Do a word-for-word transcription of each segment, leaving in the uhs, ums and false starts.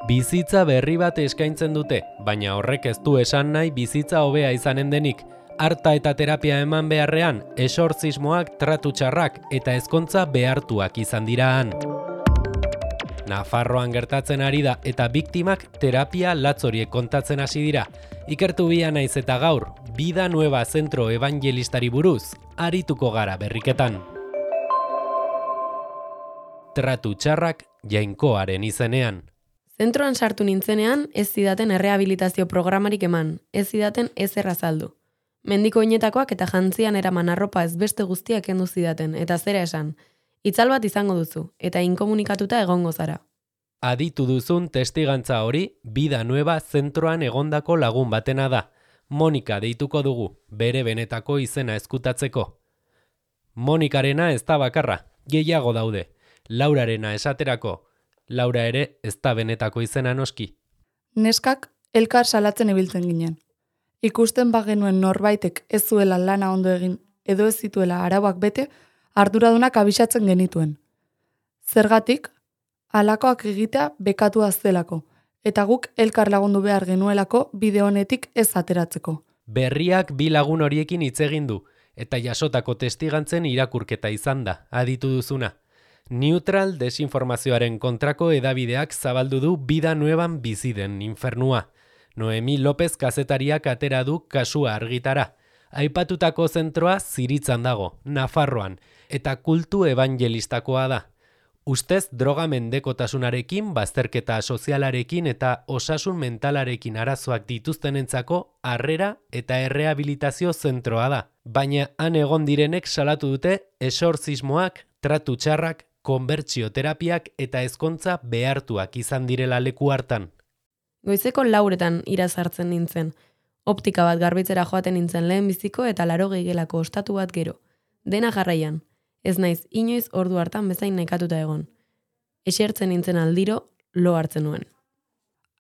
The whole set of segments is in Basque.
Bizitza berri bat eskaintzen dute, baina horrek ez du esan nahi bizitza hobea izanen denik. Arta eta terapia eman beharrean, esortzismoak, tratu txarrak eta ezkontza behartuak izan dira han. Nafarroan gertatzen ari da eta biktimak terapia latzoriek kontatzen hasi dira. Ikertu bia naiz eta gaur, Vida Nueva Zentro Evangelistari buruz, arituko gara berriketan. Tratu txarrak Jainkoaren izenean. Zentroan sartu nintzenean ez zidaten errehabilitazio programarik eman, ez zidaten ezer azaldu. Mendiko oinetakoak eta jantzian eraman arropa ez beste guztiak kendu zidaten, eta zera esan, itzal bat izango duzu, eta inkomunikatuta egongo zara. Aditu duzun testigantza hori, Vida Nueva Zentroan egondako lagun batena da. Monika deituko dugu, bere benetako izena ezkutatzeko. Monikarena ez da bakarra, gehiago daude. Laurarena esaterako, Laura ere ez da benetako izena noski. Neskak elkar salatzen ibiltzen ginen. Ikusten bagenuen norbaitek ez zuela lana ondo egin edo ez zituela arauak bete, arduradunak abisatzen genituen. Zergatik, halakoak egitea bekatua zelako, eta guk elkar lagundu behar genuelako bide honetik ez ateratzeko. Berriak bi lagun horiekin hitz egin du, eta jasotako testigantzen irakurketa izan da, aditu duzuna. Neutral desinformazioaren kontrako edabideak zabaldu du Vida Nuevan bizi den infernua. Noemi López kazetariak atera du kasua argitara. Aipatutako zentroa Ziritzan dago, Nafarroan, eta kultu evangelistakoa da. Ustez droga mendekotasunarekin, bazterketa sozialarekin eta osasun mentalarekin arazoak dituztenentzako harrera eta errehabilitazio zentroa da. Baina han egon direnek salatu dute esortzismoak, tratu txarrak, konbertsioterapiak eta ezkontza behartuak izan direla leku hartan. Goizeko lauretan irazartzen nintzen. Optika bat garbitzera joaten nintzen lehen biziko eta laurogei gelako ostatu bat gero. Dena jarraian. Ez naiz inoiz ordu hartan bezain nekatuta egon. Esertzen nintzen aldiro, lo hartzen nuen.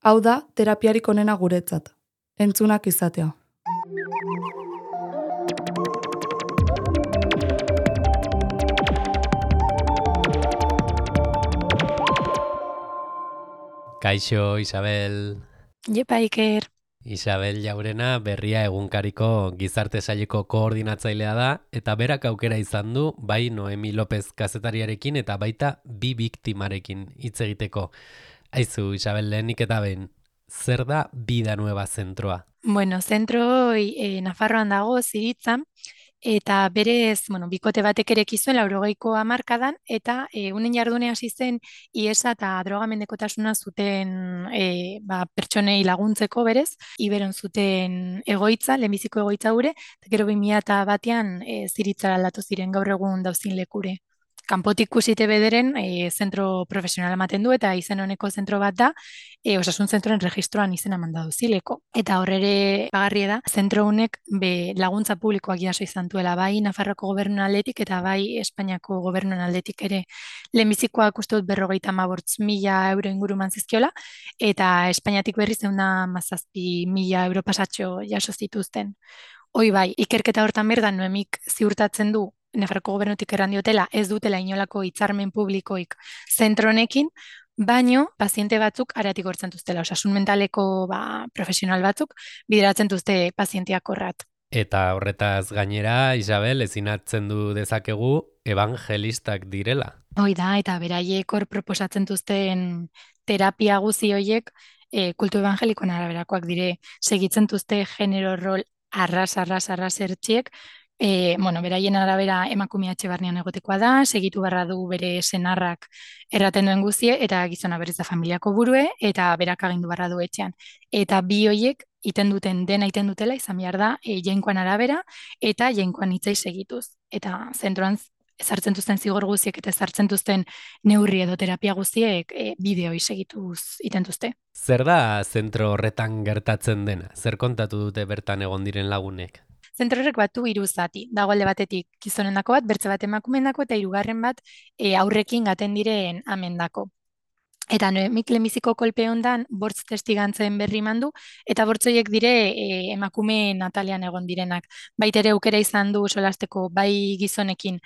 Hau da, terapiarik onena guretzat. Entzunak izatea. Kaixo, Isabel. Jepa, Iker. Isabel Jaurena berria egunkariko gizarte saileko koordinatzailea da, eta berak aukera izan du, bai Noemi López kazetariarekin eta baita bi biktimarekin hitz egiteko. Aizu, Isabel, lehenik eta behin, zer da Vida Nueva Zentroa? Bueno, zentro e, Nafarroan dago, Ziritzan, eta berez, bueno, bikote batek ere zuen laurogeiko hamarkadan, eta e, unen jardune hasi zen iesa eta drogamendekotasuna zuten e, ba, pertsonei laguntzeko berez, iberon zuten egoitza, lehenbiziko egoitza gure, eta gero bi mila batean e, Ziritzara aldatu ziren gaur egun dauzin lekure. Kanpotik kusite bederen e, zentro profesionala ematen du eta izen honeko zentro bat da, e, osasun zentroen registroan izena mandadu zileko. Eta horrere bagarria da, zentro honek be laguntza publikoak jaso izan duela, bai Nafarroko gobernuen aldetik eta bai Espainiako gobernuen aldetik ere. Lehenbizikoak uste dut berrogeita hamabost mila euro inguruman zizkiola, eta Espainiatik berriz ehun hamazazpi mila euro pasatxo jaso zituzten. Hoi bai, ikerketa hortan berdan Noemik ziurtatzen du Nafarroko gobernutik errandiotela ez dutela inolako hitzarmen publikoik zentro honekin, baino paziente batzuk aratik hortzen duztela, osasun mentaleko ba, profesional batzuk bideratzen duzte pazienteak horrat. Eta horretaz gainera, Isabel, ezinatzen du dezakegu evangelistak direla. Hoi da, eta beraiek hor proposatzen duzten terapia guzi horiek e, kultu evangelikoan araberakoak dire, segitzen duzte genero rol arras, arras, arras ertxiek, E, bueno, beraien arabera emakumea etxe barnean egotekoa da, segitu barra du bere senarrak erraten duen guzie, eta gizona berriz da familiako burue, eta berak agindu barra du etxean. Eta bi hoiek iten duten dena iten dutela, izan behar da, e, jainkoan arabera, eta jainkoan hitzai segituz. Eta zentroan ezartzen duzten zigor guziek eta ezartzen duzten neurri edo terapia guziek e, bideoi segituz iten duzte. Zer da zentro horretan gertatzen dena? Zer kontatu dute bertan egon diren lagunek? Zentro horrek batu hiru zati. Dago alde batetik gizonendako bat, bertze bat emakumeendako eta hirugarren bat e, aurrekin gaten diren amendako. Eta Noemik lehenbiziko kolpe hondan bortz testigantzen berri mandu, eta bortzoiek dire e, emakume natalean egon direnak. Baitere aukera izan du solasteko bai gizonekin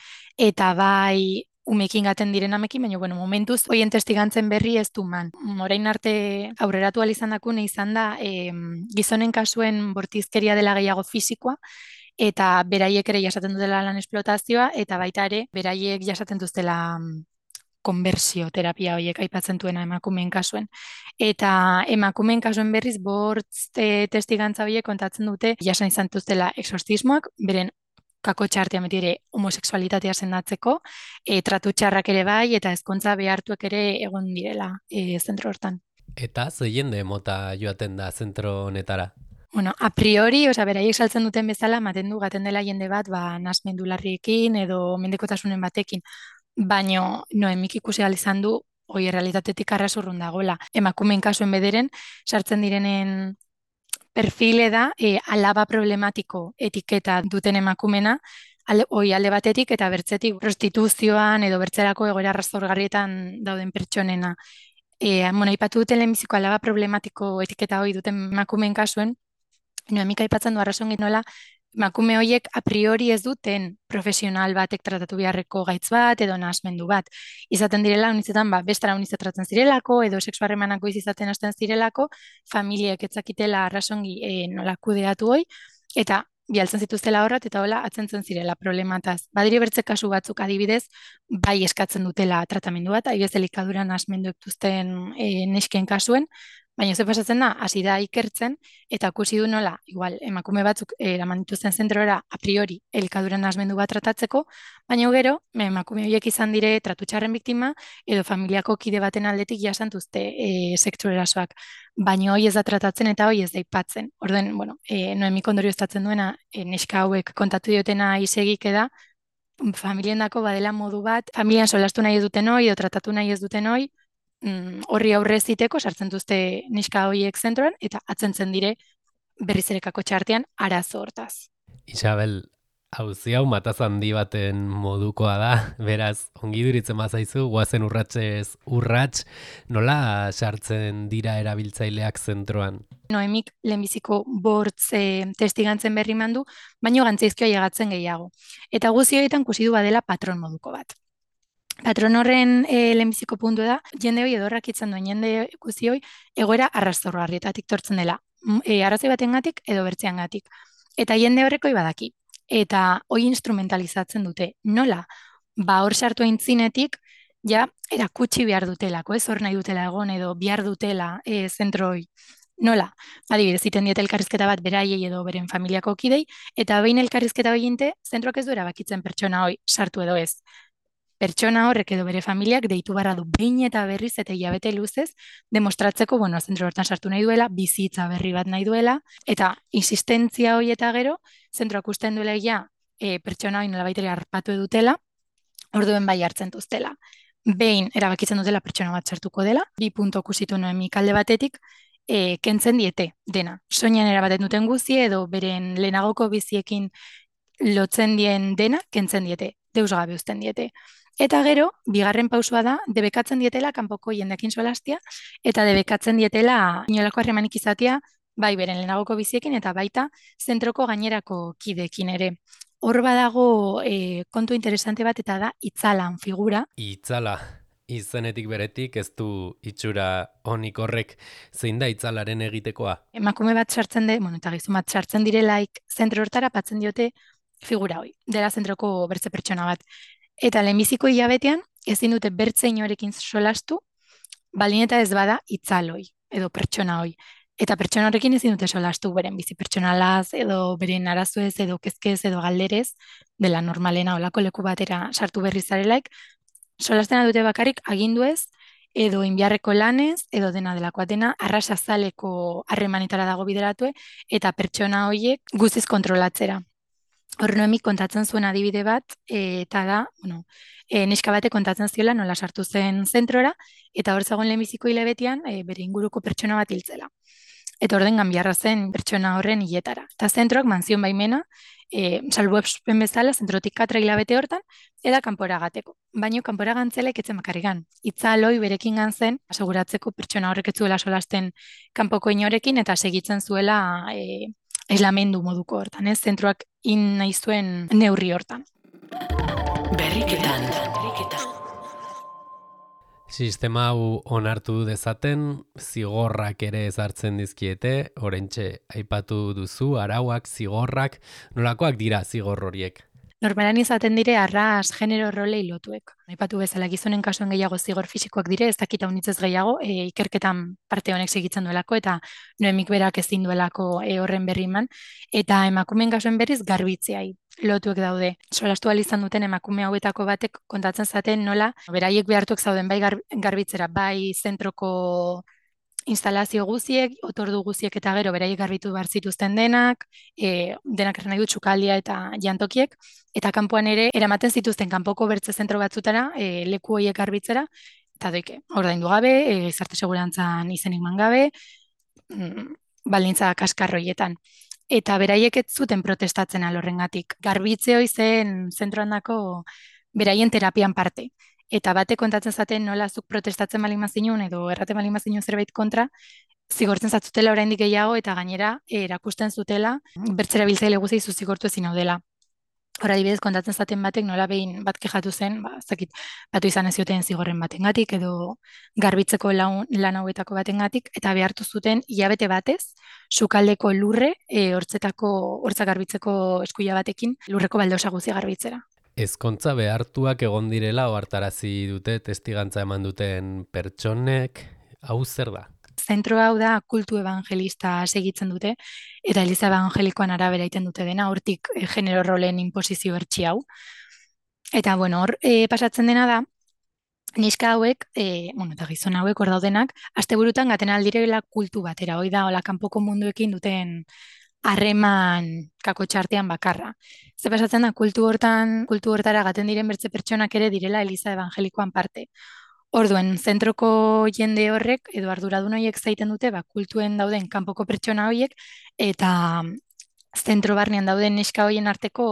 eta bai umekin gaten diren amekin, baina bueno, momentuz hoien testigantzen berri ez du man. Orain arte aurreratu ahal izan dakune izan da e, gizonen kasuen bortizkeria dela gehiago fisikoa, eta beraiek ere jasaten dutela lan esplotazioa, eta baita ere beraiek jasaten dutela konbertsio terapia horiek aipatzen duena emakumeen kasuen. Eta emakumeen kasuen berriz bortz e, testigantza horiek kontatzen dute jasan izan dutela exorcismoak, beren kako txartean beti ere homosexualitatea sendatzeko, e, tratu txarrak ere bai, eta ezkontza behartuek ere egon direla e, zentro hortan. Eta ze jende mota joaten da zentro honetara? Bueno, a priori, oza, beraiek saltzen duten bezala, ematen du gaten dela jende bat, ba, nasmendu larriekin edo mendekotasunen batekin, baino Noemik ikusi ahal izan du, hoi errealitatetik arrasurrun dagoela. Emakumeen kasuen bederen, sartzen direnen perfile da, e, alaba problematiko etiketa duten emakumena, ale, oi alde batetik eta bertzetik prostituzioan edo bertzerako egoera arrazorgarrietan dauden pertsonena. E, bueno, aipatu duten lehenbiziko alaba problematiko etiketa hoi duten emakumeen kasuen, Noemik aipatzen du arrazon nola, emakume horiek a priori ez duten profesional batek tratatu beharreko gaitz bat edo nahasmendu bat. Izaten direla, unizetan, ba, bestara unizet tratzen zirelako edo sexuarremanako izaten hasten zirelako, familiek etzakitela arrazongi e, nola kudeatu hoi, eta bialtzen zituztela horrat eta hola atzentzen zirela problemataz. Badiri bertze kasu batzuk adibidez, bai eskatzen dutela tratamendu bat, adibidez elikaduran nahasmendu ektuzten e, nesken kasuen, baina ze pasatzen da, hasi da ikertzen, eta ikusi du nola, igual, emakume batzuk eraman dituzten zentrora a priori elikaduran nahasmendu bat tratatzeko, baina gero, emakume horiek izan dire tratutxarren biktima, edo familiako kide baten aldetik jasantuzte e, sexu erasoak, baina hoi ez da tratatzen eta hoi ez da ipatzen. Orden, bueno, e, Noemik ondorioztatzen duena, e, neska hauek kontatu diotena isegik da, familiendako badela modu bat, familian solastu nahi ez duten hoi, edo tratatu nahi ez duten hoi, horri aurre ziteko sartzen duzte neska horiek zentroan eta atzentzen dire berriz ere kako txartean arazo hortaz. Isabel, auzi hau mataz handi baten modukoa da, beraz, ongi duritzen bazaizu, guazen urratsez urrats, nola sartzen dira erabiltzaileak zentroan? Noemik lehenbiziko bortz e, testigantzen berri mandu, baino gantzaizkioa llegatzen gehiago. Eta guzti horietan kusi du badela patron moduko bat. Patron horren e, lehenbiziko puntu da, jende hoi edorrak itzan duen jende guzti hoi, egoera arrazorgarrietatik tortzen dela, e, arrazoi batengatik edo bertzeangatik. Eta jende horreko badaki. Eta hoi instrumentalizatzen dute. Nola? Ba hor sartu aintzinetik, ja, erakutsi behar dutelako, ez hor nahi dutela egon edo behar dutela e, zentro hoi. Nola? Adibidez, iten diete elkarrizketa bat beraiei edo beren familiako kidei, eta behin elkarrizketa hoi inte, zentroak ez du erabakitzen pertsona hoi sartu edo ez. Pertsona horrek edo bere familiak deitu barra du behin eta berriz eta hilabete luzez demostratzeko, bueno, zentro hortan sartu nahi duela, bizitza berri bat nahi duela, eta insistentzia hori eta gero, zentroak usten duela ja, e, pertsona hori nola baitere harpatu edutela, orduen bai hartzen duztela. Behin erabakitzen dutela pertsona bat sartuko dela, bi punto kusitu Noemik alde batetik, e, kentzen diete dena. Soinean erabaten duten guzi edo beren lehenagoko biziekin lotzen dien dena, kentzen diete, deus gabe uzten diete. Eta gero, bigarren pausua da, debekatzen dietela kanpoko jendekin solastia, eta debekatzen dietela inolako harremanik izatea, bai beren lehenagoko biziekin, eta baita zentroko gainerako kidekin ere. Hor badago e, kontu interesante bat, eta da itzalan figura. Itzala, izenetik beretik ez du itxura honik horrek, zein da itzalaren egitekoa? Emakume bat sartzen de, bueno, eta gizon bat sartzen direlaik zentro hortara patzen diote figura hoi, dela zentroko bertze pertsona bat. Eta lehenbiziko hilabetean, ezin dute bertze inorekin solastu, baldin eta ez bada itzaloi, edo pertsona hoi. Eta pertsona horrekin ezin dute solastu beren bizi pertsonalaz, edo beren arazoez, edo kezkez, edo galderez, dela normalena olako leku batera sartu berri zarelaik, solastena dute bakarrik aginduez, edo inbiarreko lanez, edo dena delakoa dena, arrasazaleko harremanetara dago bideratue, eta pertsona horiek guztiz kontrolatzera. Hor Noemik kontatzen zuen adibide bat, e, eta da, bueno, e, neska bate kontatzen ziola nola sartu zen zentrora, eta hor zegoen lehenbiziko hilabetean e, bere inguruko pertsona bat hiltzela. Eta orden ganbiarra zen pertsona horren hiletara. Eta zentroak manzion baimena, e, salbuespen bezala, zentrotik katra hilabete hortan, eta kanpora gateko. Baina kanpora gantzelek etzen bakarrigan. Itzaloi berekin gantzen, aseguratzeko pertsona horrek ez zuela solasten kanpoko inorekin, eta segitzen zuela e, aislamendu moduko hortan, ez? Zentroak in nahi zuen neurri hortan. Berriketan. Berriketan. Sistema hau onartu dezaten, zigorrak ere ezartzen dizkiete, oraintxe aipatu duzu, arauak, zigorrak, nolakoak dira zigor horiek? Normalan izaten dire arras genero rolei lotuek. Aipatu bezala gizonen kasuan gehiago zigor fisikoak dire, ez dakita unitzez gehiago, e, ikerketan parte honek segitzen duelako, eta Noemik berak ezin duelako e, horren berri eman, eta emakumeen kasuan berriz garbitzeai lotuek daude. Solastu ahal izan duten emakume hauetako batek kontatzen zaten nola, beraiek behartuek zauden bai gar, garbitzera, bai zentroko instalazio guziek, otordu guziek eta gero beraiek garbitu behar zituzten denak, e, denak erren nahi dut txukaldia eta jantokiek, eta kanpoan ere eramaten zituzten kanpoko bertze zentro batzutara, e, leku horiek garbitzera, eta doike, ordaindu gabe, e, gizarte segurantzan izenik man gabe, mm, baldintza kaskarroietan. Eta beraiek ez zuten protestatzen alorrengatik. Garbitze hoi zen zentroandako beraien terapian parte. Eta bate kontatzen zaten nola zuk protestatzen baldin mazinun edo erraten baldin mazinun zerbait kontra, zigortzen zatzutela oraindik gehiago eta gainera erakusten zutela bertzera biltzaile guzti zu zigortu ezin hau dela. Hora adibidez kontatzen zaten batek nola behin bat kexatu zen, ba, zakit, batu izan ez zioten zigorren batengatik edo garbitzeko lan, lan hauetako batengatik eta behartu zuten hilabete batez sukaldeko lurre e, hortzetako hortza garbitzeko eskuila batekin lurreko baldosa guzti garbitzera. Ezkontza behartuak egon direla ohartarazi dute testigantza eman duten pertsonek, hau zer da? Zentro hau da kultu evangelista segitzen dute, eta Eliza evangelikoan arabera egiten dute dena, hortik e, genero rolen inposizio bertsi hau. Eta bueno, hor e, pasatzen dena da, neska hauek, e, bueno, eta gizon hauek hor daudenak, asteburutan gaten aldirela kultu batera, hoi da, hola kanpoko munduekin duten harreman kakotxartean bakarra. Ze pasatzen da, kultu hortan, kultu hortara gaten diren bertze pertsonak ere direla Eliza evangelikoan parte. Orduen, zentroko jende horrek, edo arduradun horiek zaiten dute, ba, kultuen dauden kanpoko pertsona horiek, eta zentro barnean dauden neska horien arteko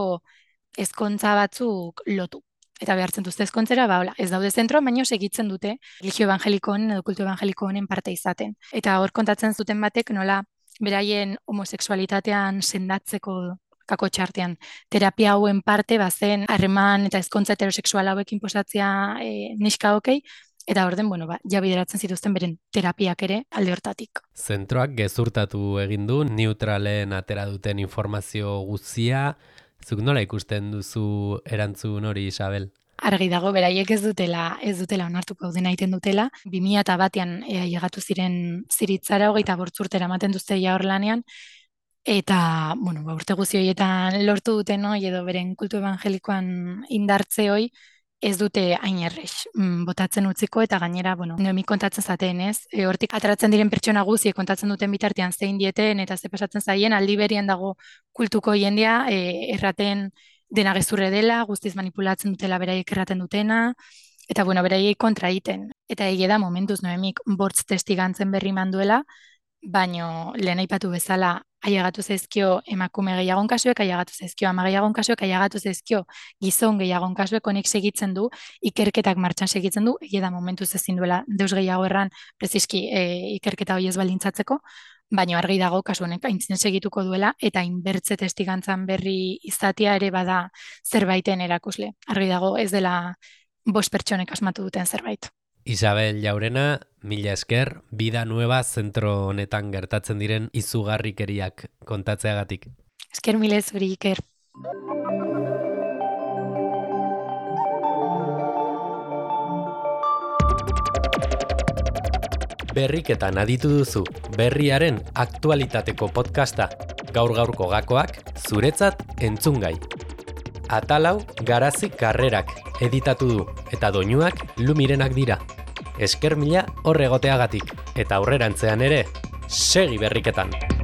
ezkontza batzuk lotu. Eta behartzen duzte ezkontzera, ba, hola, ez daude zentroan, baino segitzen dute religio evangeliko honen edo kultu evangeliko honen parte izaten. Eta hor kontatzen zuten batek nola beraien homosexualitatean sendatzeko kakotxartean terapia hauen parte bazen harreman eta ezkontza heterosexual hauekin posatzea e, neska hokei, eta orden, bueno, ba, ja bideratzen zituzten beren terapiak ere alde hortatik. Zentroak gezurtatu egin du, neutralen atera duten informazio guztia, zuk nola ikusten duzu erantzun hori, Isabel? Argi dago, beraiek ez dutela, ez dutela onartuko dena egiten dutela. bi mila batean ea llegatu ziren ziritzara, hogeita bortzurtera ematen duzte ja hor lanean, eta, bueno, ba, urte guzti horietan lortu duten hoi, edo beren kultu evangelikoan indartze hoi, ez dute hain errex botatzen utziko, eta gainera, bueno, Noemik kontatzen zaten, ez? E, hortik ateratzen diren pertsona guztiek kontatzen duten bitartean zein dieten, eta ze pasatzen zaien, aldi berian dago kultuko jendea, e, erraten dena gezurre dela, guztiz manipulatzen dutela beraiek erraten dutena, eta bueno, beraiek kontra egiten. Eta egia da momentuz Noemik bortz testigantzen berri manduela, baino lehen aipatu bezala ailegatu zaizkio emakume gehiagon kasuek, ailegatu zaizkio ama gehiagon kasuek, ailegatu zaizkio gizon gehiagon kasuek, honek segitzen du, ikerketak martxan segitzen du, egia da momentuz ezin duela deus gehiago erran preziski e, ikerketa hori ez baldintzatzeko, baina argi dago kasu honek aintzin segituko duela eta inbertze testigantzan berri izatea ere bada zerbaiten erakusle. Argi dago ez dela bost pertsonek asmatu duten zerbait. Isabel Jaurena, mila esker, Vida Nueva zentro honetan gertatzen diren izugarrikeriak kontatzeagatik. Esker mile zuri, Iker. Berriketan aditu duzu, berriaren aktualitateko podcasta, gaur-gaurko gakoak, zuretzat entzungai. Atalau Garazi Karrerak editatu du, eta doinuak Lumirenak dira. Esker mila horregoteagatik, eta aurrerantzean ere, segi berriketan!